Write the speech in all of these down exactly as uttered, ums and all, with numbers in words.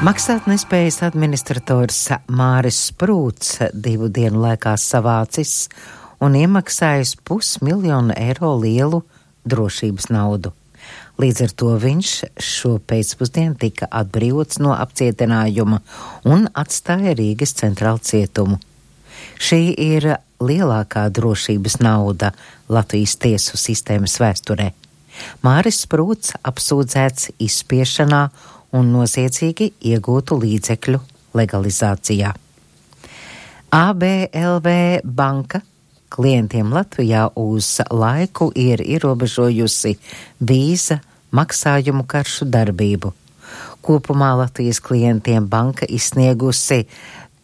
Maksātnespējas administrators Māris Sprūts divu dienu laikā savācis un iemaksājis pusmiljonu eiro lielu drošības naudu. Līdz ar to viņš šo pēcpusdienu tika atbrīvots no apcietinājuma un atstāja Rīgas centrālu cietumu. Šī ir lielākā drošības nauda Latvijas tiesu sistēmas vēsturē. Māris Sprūts apsūdzēts izspiešanā un noziedzīgi iegūtu līdzekļu legalizācijā. A B L V banka klientiem Latvijā uz laiku ir ierobežojusi vīza maksājumu karšu darbību. Kopumā Latvijas klientiem banka izsniegusi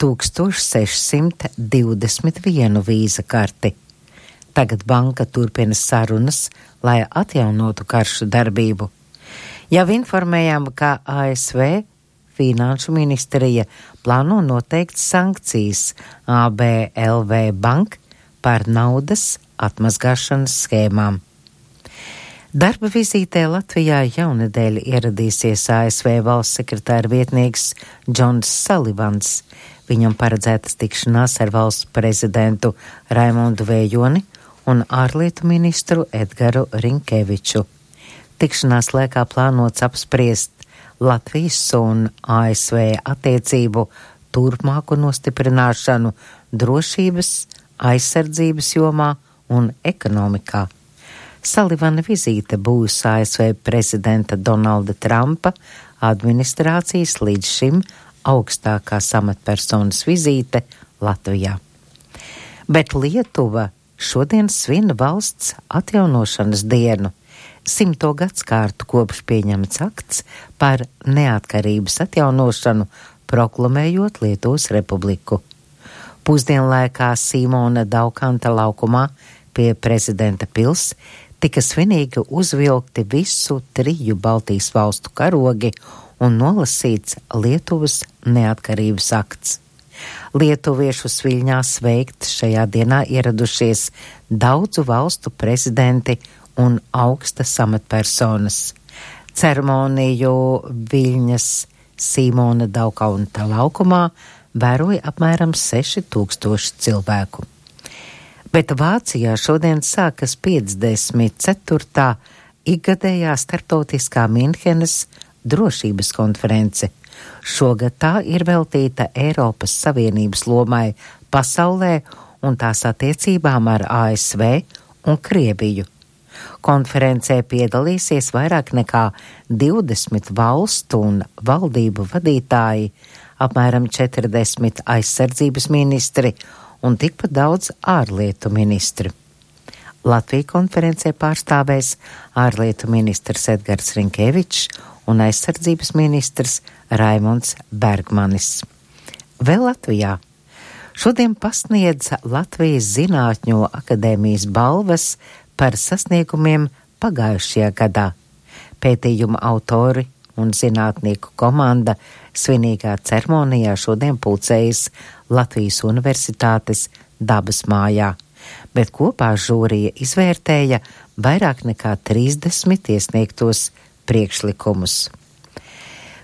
tūkstoš sešsimt divdesmit vienu vīza karti. Tagad banka turpina sarunas, lai atjaunotu karšu darbību. Jau informējām, ka A S V Finanšu ministrija plāno noteikt sankcijas A B L V bank par naudas atmazgāšanas schēmām. Darba vizītē Latvijā jaunedēļ ieradīsies A S V valsts sekretāra vietnieks Džons Salivans. Viņam paredzētas tikšanās ar valsts prezidentu Raimondu Vējoni un ārlietu ministru Edgaru Rinkeviču. Tikšanās laikā plānots apspriest Latvijas un A S V attiecību turpmāku nostiprināšanu drošības, aizsardzības jomā un ekonomikā. Salivana vizīte būs A S V prezidenta Donalda Trumpa administrācijas līdz šim augstākās amatpersonas vizīte Latvijā. Bet Lietuva šodien svin valsts atjaunošanas dienu. Simto gadskārtu kopš pieņemts akts par neatkarības atjaunošanu, proklamējot Lietuvas republiku. Pusdienlaikā Simona Daukanta laukumā pie prezidenta pils tika svinīgi uzvilkti visu triju Baltijas valstu karogi un nolasīts Lietuvas neatkarības akts. Lietuviešus Viļņā sveikt šajā dienā ieradušies daudzu valstu prezidenti un augstas amatpersonas. Ceremoniju Viļņas Simona Daukanta laukumā vēroja apmēram seši tūkstoši cilvēku. Bet Vācijā šodien sākas piecdesmit ceturtā ikgadējā starptautiskā Minhenes drošības konference. Šogad tā ir veltīta Eiropas Savienības lomai pasaulē un tās attiecībām ar A S V un Krieviju. Konferencē piedalīsies vairāk nekā divdesmit valstu un valdību vadītāji, apmēram četrdesmit aizsardzības ministri un tikpat daudz ārlietu ministri. Latviju konferencē pārstāvēs ārlietu ministrs Edgars Rinkevičs un aizsardzības ministrs Raimonds Bergmanis. Vēl Latvijā. Šodien pasniedz Latvijas Zinātņu akadēmijas balvas par sasniegumiem pagājušajā gadā. Pētījuma autori un zinātnieku komanda svinīgā ceremonijā šodien pulcējas Latvijas Universitātes dabas mājā, bet kopā žūrija izvērtēja vairāk nekā trīsdesmit iesniegtos priekšlikumus.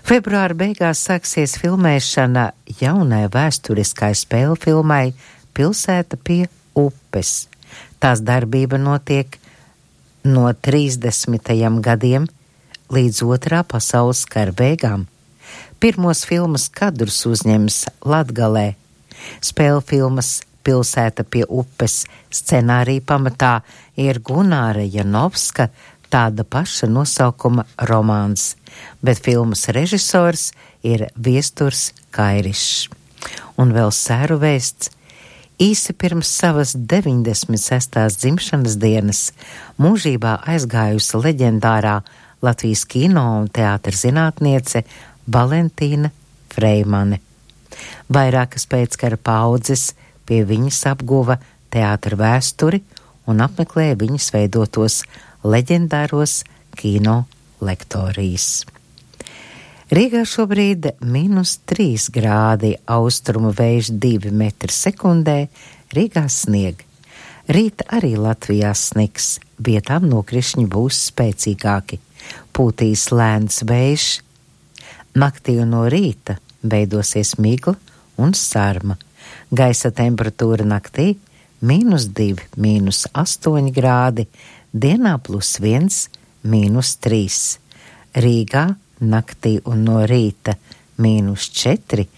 Februāra beigās sāksies filmēšana jaunai vēsturiskai spēļu filmai Pilsēta pie upes. Tās darbība notiek no trīsdesmitajiem gadiem līdz otrā pasaules kara beigām. Pirmos filmas kadrus uzņems Latgalē. Spēļu filmas Pilsēta pie upes scenārija pamatā ir Gunāra Janovska tāda paša nosaukuma romāns, bet filmas režisors ir Viesturs Kairišs. Un vēl sēru vēsts. Īsi pirms savas deviņdesmit sestās dzimšanas dienas mūžībā aizgājusi leģendārā Latvijas kino un teātra zinātniece Valentīna Freimane. Vairākas pēckara paudzes pie viņas apguva teātra vēsturi un apmeklēja viņas veidotos leģendāros kino lektorijas. Rīgā šobrīd mīnus trīs grādi, austrumu vējš divi metri sekundē, Rīgā snieg. Rīt arī Latvijā snigs, vietām nokrišņi būs spēcīgāki. Pūtīs lēns vējš, Naktī un no rīta veidosies migla un sarma. Gaisa temperatūra naktī mīnus divi, mīnus astoņi grādi, dienā plus viens, mīnus trīs. Rīgā naktī un no rīta mīnus četri,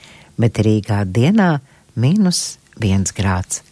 bet Rīgā dienā mīnus viens grāds.